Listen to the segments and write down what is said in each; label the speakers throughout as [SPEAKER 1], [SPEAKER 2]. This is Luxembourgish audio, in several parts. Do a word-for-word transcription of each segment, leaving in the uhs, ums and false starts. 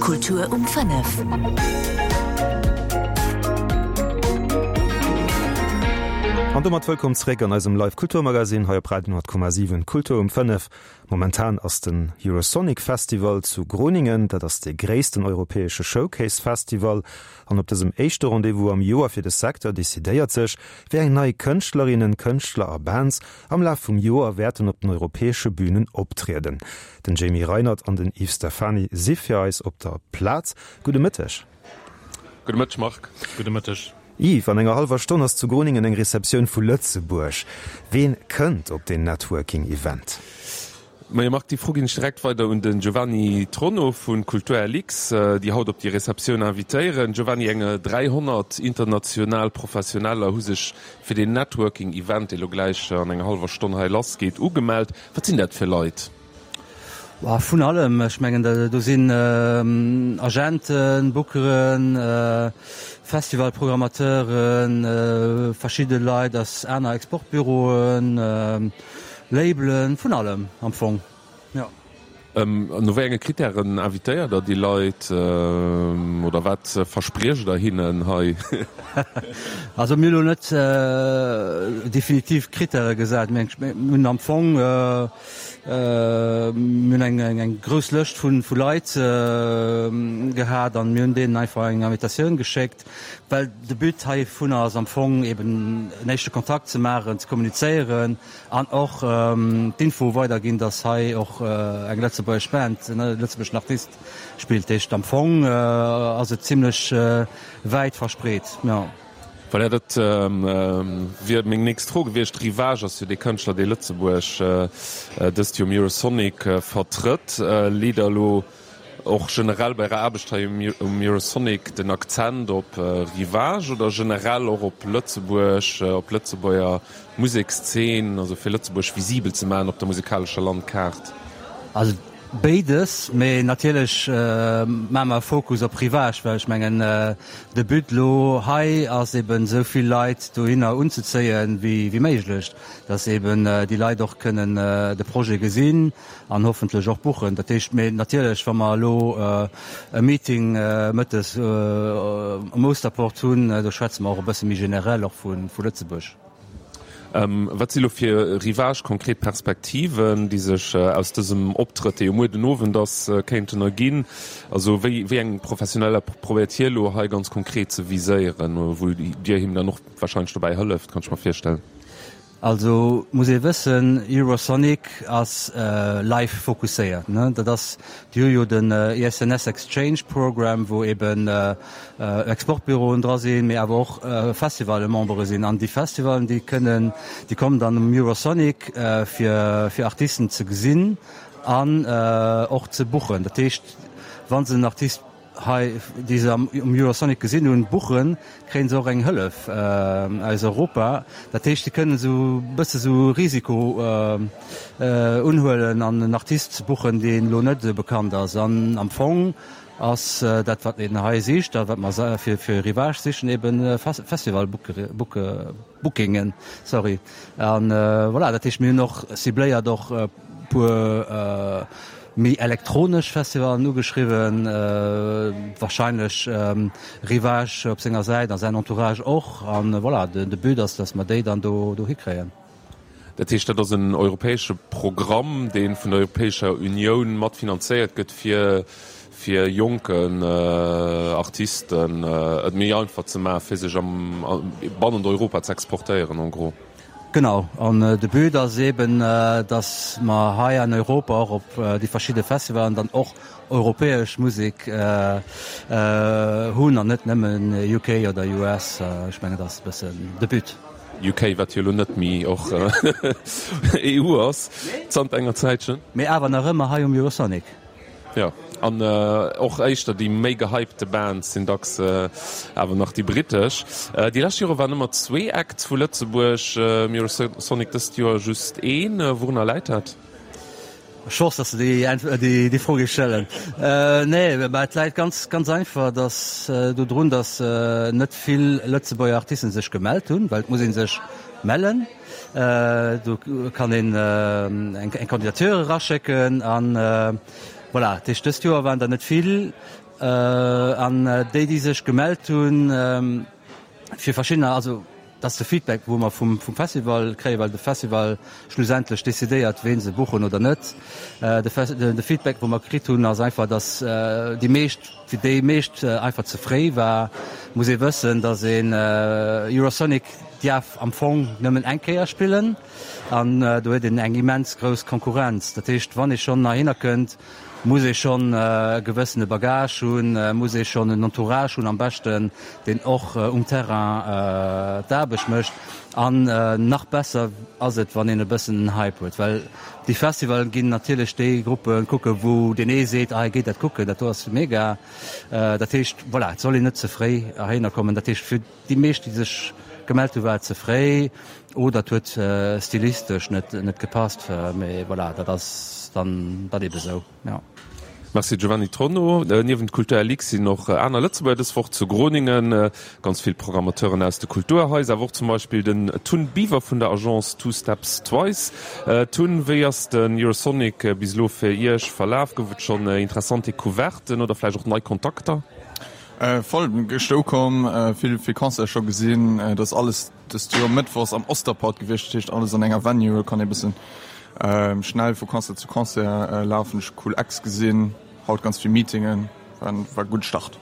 [SPEAKER 1] Kultur um fënnef.
[SPEAKER 2] An domat wëllkomm zréck an eisem Live Kulturmagazin hei op Radio honnert Komma siwen, Kultur um fënnef. Momentan ass den Eurosonic Festival zu Groningen, dat ass dee gréissten europäesche Showcase Festival. An op dësem éischte Rendez-vous am Joer fir de Secteur decidéiert sech, wéi eng nei Kënschtlerinnen, Kënschtler a Bands am Laf vum Joer wäerten op den europäesche Bünen optrieden. Den Jamie Reinert an den Yves Stephany si fir eis op der Plaz. Gudde Mëtteg.
[SPEAKER 3] Gudde Mëtteg, Marc.
[SPEAKER 4] Gudde Mëtteg.
[SPEAKER 2] Yves, an enger hallwer Stonn ass zu Groningen eng Receptioun vu Lëtzebuerg. Ween kënnt op deen Networking-Event?
[SPEAKER 3] Majo Marc, déi Fro ginn ech direkt weider un den Giovanni Tronno vu Kultur LX, déi haut op déi Receptioun invitéieren. Giovanni, eng dräihonnert international Professioneller hu sech fir deen Networking Event, dee lo gläich an enger hallwer Stonn hei lass geet, ugemellt. Wat sinn dat fir Leit?
[SPEAKER 5] Vun allem. Ech mengen, do sinn Agenten, Bookeren, Festivalprogrammateuren, verschidde Leit aus aner Exportbüroen, Labelen, vun allem am Fong, jo.
[SPEAKER 3] An no wéi enge Krittären invitéiert Der déi Leit oder wat verspriecht Der hinnen hei?
[SPEAKER 5] Also mir hu elo net definitiv Krittäre gesat, mä mir hunn am Fong, mir hunn eng grouss Lëscht vu Leit gehat an mir hunn deenen einfach eng Invitatioun geschéckt, well de But heivunner ass am Fong eben en éischte Kontakt ze maachen, ze kommunizéieren an och d'Info weiderginn, dass hei och eng lëtzebuergesch Band, en lëtzebuergeschen Artist spillt. Dat heescht am Fong ass et zimlech wäit verspreet, jo.
[SPEAKER 3] Voilà, dat wier meng nächst Fro gewiescht. Ryvage ass jo dee Kënschtler, dee Lëtzebuerg dëst Joer um Eurosonic vertrëtt. Leet Der elo och generell bei Ärer Aarbecht hei um Eurosonic den Akzent op Ryvage oder generell och op Lëtzebuerg, op d'Lëtzebuerger Musekszeen, also fir Lëtzebuerg visibel ze maachen op der musikalescher Landkaart?
[SPEAKER 5] Also béides, mee natierlech maache mer e Fokus op Ryvage, well ech mengen de But elo hei ass eben esou vill Leit dohinner unzezéien wéi méiglech, dass eben déi Leit och kënnen de Projet gesinn an hoffentlech och buchen. Dat heescht, mee natierlech, wa mer elo e Meeting mëttes um Osterport hunn, do schwätze mer och e bësse méi generell och vu Lëtzebuerg.
[SPEAKER 3] Wat si lo fir Ryvage konkret Perspektiven, déi sech aus dësem Optrëtt, dee jo muer den Owend ass, kéinten erginn? Also wéi wéi eng Professioneller probéiert hie lo hei ganz konkret ze viséieren, wou Dir him dann och wahrscheinlech dobäi hëlleft, kann ech mer virstellen?
[SPEAKER 5] Also muss ee wëssen, Eurosonic ass live fokusséiert. Dat ass, déi hu jo den E S N S Exchange Program, wou eben Exportbüroen dra sinn, mee awer och Festivalmembere sinn. An déi Festivalen, déi kënnen, déi kommen dann um Eurosonic fir fir Artisten ze gesinn an och ze buchen. Dat heescht, wa se en Artist hei, déi se am um Eurosonic gesinn hunn, buchen, kréien se och eng Hëllef aus Europa. Dat heescht, si kënnen esou e bësse sou Risiko unhuelen an en Artist buchen, deen elo net esou bekannt ass. An am Fong ass dat, wat een hei sicht a wat mer fir fir Ryvage sichen, eben Festival-Bookingen. Sorry. An voilà, dat heescht, mir hunn och cibléiert och e puer méi elektronesch Festivalen ugeschriwwen, wahrscheinlech Ryvage op senger Säit a säin Entourage och. An voilà, de But ass, dass mer déi dann do dohi kréien.
[SPEAKER 3] Dat heescht, dat ass en europäesche Programm, dee vun der Europäescher Unioun mat finanzéiert gëtt, fir fir jonken Artisten et méi einfach ze maachen, fir sech am bannent Europa ze exportéieren, en gros.
[SPEAKER 5] Genau, an de But ass eben, datt mer hei an Europa och op déi verschidde Festivalen dann och europäesch Musek hunn an net nëmmen U K oder U S. Ech mengen, dat ass e bëssen de But.
[SPEAKER 3] U K, wat jo elo net méi och E U ass zanter enger Zäitchen.
[SPEAKER 5] Mee awer nach ëmmer hei um Eurosonic.
[SPEAKER 3] Jo, an och éischter déi méi gehypte Bands sinn dacks awer nach déi brittesch. Déi lescht Jore waren ëmmer zwee Acts vu Lëtzebuerg um Eurosonic, dëst Joer just een. Wourunner läit dat?
[SPEAKER 5] Ech wosst, dass de déi déi Fro géifs stellen. Nee, mä et läit ganz, ganz einfach dass dodrun, dass net vill Lëtzebuerger Artisten sech gemellt hunn, well et muss ee sech mellen. Do kann een eng Candidature eraschécken an Voilà, dat heescht dëst Joer waren der net vill an déi déi sech gemellt hunn fir verschiddener, also dat ass de Feedback wou mer vum vum Festival kréien, well de Festival schlussendlech decidéiert ween se buchen oder net. De de Feedback wou mer kritt hunn ass einfach, datt déi meescht, fir déi meescht einfach ze fréi war. Muss ee wëssen, datt een Eurosonic dierf am Fong nëmmen eng Kéier spillen an do huet een eng immens grouss Konkurrenz. Dat heescht, wann ee schonn heihinner kënnt, muss ee schonn e gewëssene Bagage hunn, muss ee schonn en Entourage hunn am beschten, deen och um Terrain d'Aarbecht mécht. An nach besser ass et, wann een e bëssen en Hype huet, well déi Festivallen ginn natierlech déi Gruppe kucken, wou deen ee seet, ah hei geet dat kucken, dat do ass mega. Dat heescht, voilà, et soll een net ze fréi heihinner kommen. Dat heescht, fir déi meescht, déi sech gemellt hu war et ze fréi oder et huet stilistesch net net gepasst, mee voilà, dat ass dann dann ebe sou, jo.
[SPEAKER 3] Merci Giovanni Tronno. Niewent Kultur LX sinn och aner Lëtzebuerger dës Woch zu Groningen. Ganz vill Programmateuren aus de Kulturhaiser, awer och zum Beispill den Tun Biver vun der Agence Two Steps Twice. Tun, wéi ass den Eurosonic bis elo fir Iech verlaf? Gouf et schonn interessant Decouverten oder vläicht och nei Kontakter?
[SPEAKER 1] Voll, gëschter ukomm, vill vill Concerte scho gesinn. Et ass alles dëst Joer mëttwochs am Osterport gewiescht, dat heescht alles an enger Venue, kann ee bëssen schnell vu Concert zu Concert lafen. Ech hu cool Acts gesinn, haut ganz vill Meetingen, war war e gudde Start.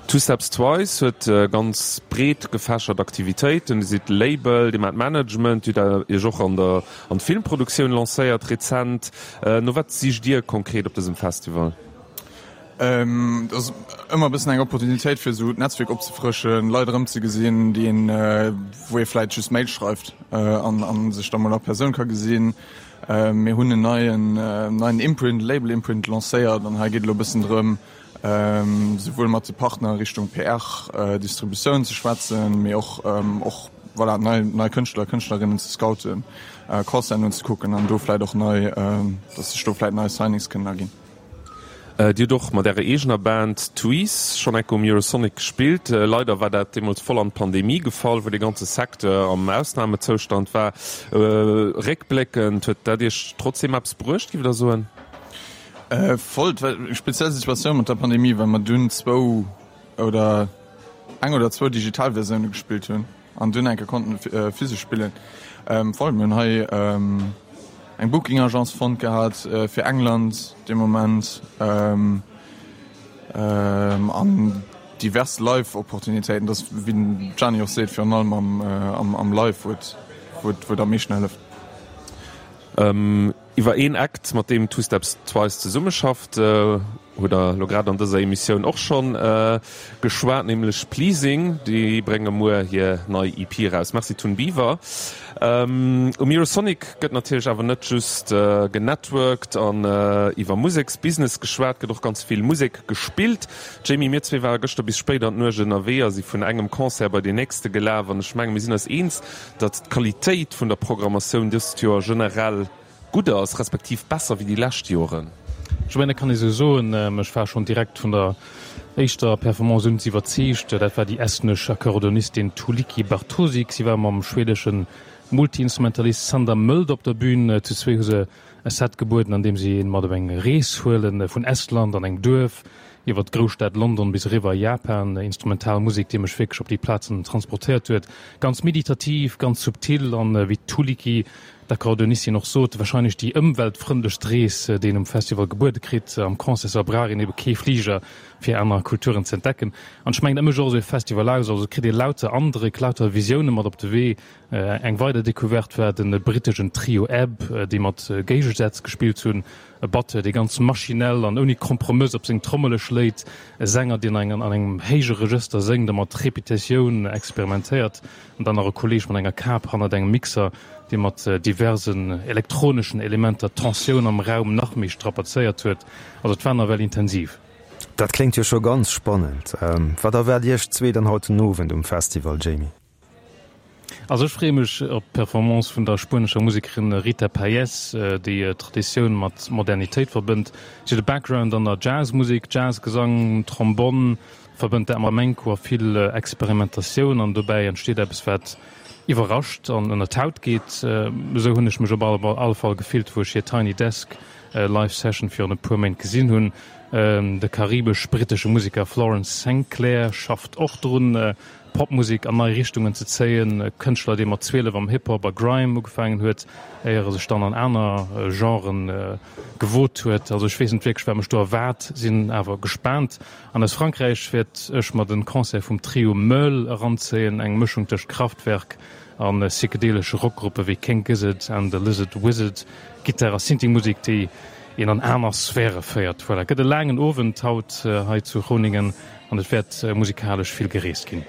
[SPEAKER 3] Two Steps Twice huet ganz breet gefächert Aktivitéiten. Dir sidd Label, Dir maacht Management, Dir hutt Iech och an der an d'Filmproduktioun lancéiert rezent. No wat sicht Dir konkret op dësem Festival?
[SPEAKER 1] Et ass ëmmer e bëssen eng Opportunitéit fir esou d'Netzwierk opzefrëschen, Leit erëmzegesinn, déi een, wou ee vläit just Mail schreift an a sech da mol a Persoun ka gesinn. Mir hunn en neien neien Imprint, Label Imprint lancéiert an hei geet elo e bëssen drëm, souwuel mat de Partner Richtung P R, Distributioun ze schwätzen, mee och och voilà nei nei Kënschtler, Kënschtlerinnen ze scouten, Concerten unzekucken an do vläit och nei, datt sech do vläit nei Signings kënnen erginn.
[SPEAKER 3] Dir hutt och mat ärer eegener Band Twice schonn enke um Eurosonic gespillt. Leider war dat deemools voll an d'Pandemie gefall, wou dee ganze Secteur am Ausnamezoustand war. Réckbléckend, huet dat Iech trotzdeem eppes bruecht, giff Der soen?
[SPEAKER 1] Voll, et war eng speziell Situatioun mat der Pandemie, well mer dunn zwou oder eng oder zwou digital Versioune gespillt hunn an dunn enke konnten physesch spillen. Voll, mir hunn hei eng Booking Agence fonnt gehat fir England dee Moment an divers Live Opportunitéiten. Dat ass wéi den Gianni och seet virun allem am am Live wou et wou et wou et am meeschten hëlleft.
[SPEAKER 3] Iwwer een Act, mat deem Two Steps Twice zesummeschafft, hutt Der elo grad an dëser Emissioun och schonn geschwat, nämlech Pleasing. Déi brénge muer hir nei E P eraus. Merci Tun Biver. Um Eurosonic gëtt natierlech awer net just genetworked an iwwer Museksbusiness geschwat, gëtt och ganz vill Musek gespillt. Jamie, mir zwee ware gëschter bis spéit an d'Nuecht ënnerwee a si vun engem Concert bei deen nächste gelaf an ech menge mir sinn eis eens, datt d'Qualitéit vun der Programmatioun dëst Joer generell gutt ass, respektiv besser wéi déi lescht Joren.
[SPEAKER 4] Ech mengen, dat kann ee sou soen. Ech war schonn direkt vun der éischter Performance un iwwerzeegt. Dat war déi estnesch Akkordeonistin Tuulikki Bartosik. Si war mam schwedesche Multiinstrumentalist Sander Mölder op der Bün. Zu zwee hu se e Set gebueden, an deem si een mat op eng Rees huelen, vun Estland an engem Duerf iwwer d'Grousstad London bis eriwwer a Japan. Instrumental Musek, déi mech wierklech op déi Plazen transportéiert huet. Ganz meditativ, ganz subtil an, wéi d'Tuulikki, d'Akkordeonistin, och sot, warscheinlech déi ëmweltfrëndlechst Rees, déi een um Festival gebuede kritt. Am Concertsaal brauch een ebe kee Fliger, fir aner Kulturen ze entdecken. An ech mengen, dat mécht och esou e Festival aus. Also et kritt ee lauter Andréck, lauter Visioune mat op de Wee. Eng weider Decouverte war de britteschen Trio Ebb, déi mat Géigesätz gespillt hunn. E Batteur, dee ganz maschinell an ouni Kompromëss op seng Trommele schléit, e Sänger, deen an engem héije Regëster séngt a mat Repetitioun experimentéiert, an dann nach e Kolleeg mat enger Kap hannert engem Mixer, dee mat diversen elektroneschen Elementer d'Tensioun am Raum nach méi strapazéiert huet. Also et war nawell intensiv.
[SPEAKER 2] Dat kléngt jo scho ganz spannend. Wat erwaart Iech zwee dann haut den Owend um Festival, Jamie?
[SPEAKER 4] Also ech freeë mech op d'Performance vun der spuenescher Musekerin Rita Payés, déi Traditioun mat Modernitéit verbënnt. Si huet e Background an der Jazzmusek, Jazzgesang, Trombonn, verbënnt dat mat Flamenco a vill Experimentatioun an dobäi entsteet eppes wat iwwerrascht an ënner d'Haut geet. Esou hunn ech mech op alle Fall gefillt, wou ech hir Tiny Desk Live Session virun e puer Méint gesinn hunn. De karibesch-brittesche Museker Florence Saint-Clair schafft och drun, Popmusek an nei Richtungen ze zéien. E Kënschtler, dee mat zwielef am Hip-Hop a Grime ugefaangen huet, éier e sech dann an aner Genren gewot huet. Also ech weess net wierklech, wat mech do erwaart, sinn awer gespaant. An aus Frankräich wäert ech mer de Concert vum Trio Meul eranzéien, eng Mëschung tëscht Kraftwerk a psychedelesche Rockgruppe wéi King Gizzard and the Lizard Wizard, Gittar a Synthie-Musek, déi een an aner Sphäre féiert. Voilà, gëtt e laangen Owend haut hei zu Groningen an et wäert musikalesch vill gereest ginn.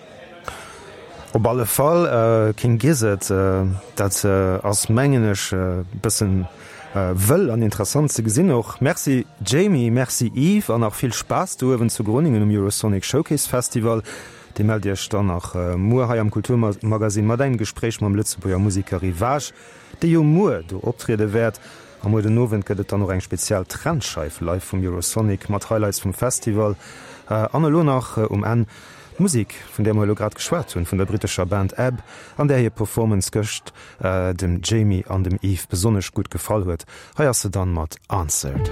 [SPEAKER 2] Op alle Fall, King Gizzard, dat ass mengen ech e bëssen wëll an interessant ze gesinn och. Merci Jamie, merci Yves an nach vill Spaass do uewen zu Groningen um Eurosonic Showcase Festival. Dir mellt Iech dann nach muer hei am Kulturmagazine mat engem Gespréich mam Lëtzebuerger Museker Ryvage, dee jo muer do optriede wäert. A muer den Owend gëtt et dann och eng spezial Trendscheif live vum Eurosonic mat Highlights vum Festival. An elo nach um Enn d'Musek, vun där mer elo grad geschwat hunn, vun der brittescher Band Ebb, an där hir Performance gëscht dem Jamie an dem Yves besonnesch gutt gefall huet. Hei ass se dann mat Answered.